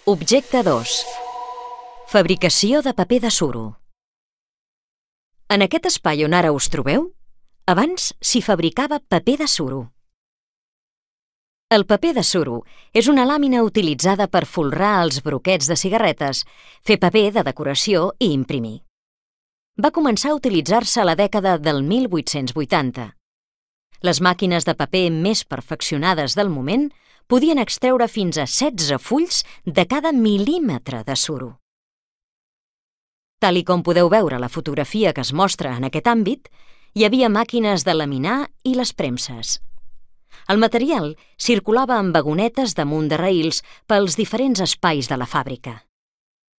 Objecte 2. Fabricació de paper de suro. En aquest espai on ara us trobeu, abans s'hi fabricava paper de suro. El paper de suro és una làmina utilitzada per folrar els broquets de cigarretes, fer paper de decoració i imprimir. Va començar a utilitzar-se a la dècada del 1880. Les màquines de paper més perfeccionades del moment podien extreure fins a 16 fulls de cada mil·límetre de suro. Tal i com podeu veure a la fotografia que es mostra en aquest àmbit, hi havia màquines de laminar i les premses. El material circulava en vagonetes damunt de raïls pels diferents espais de la fàbrica.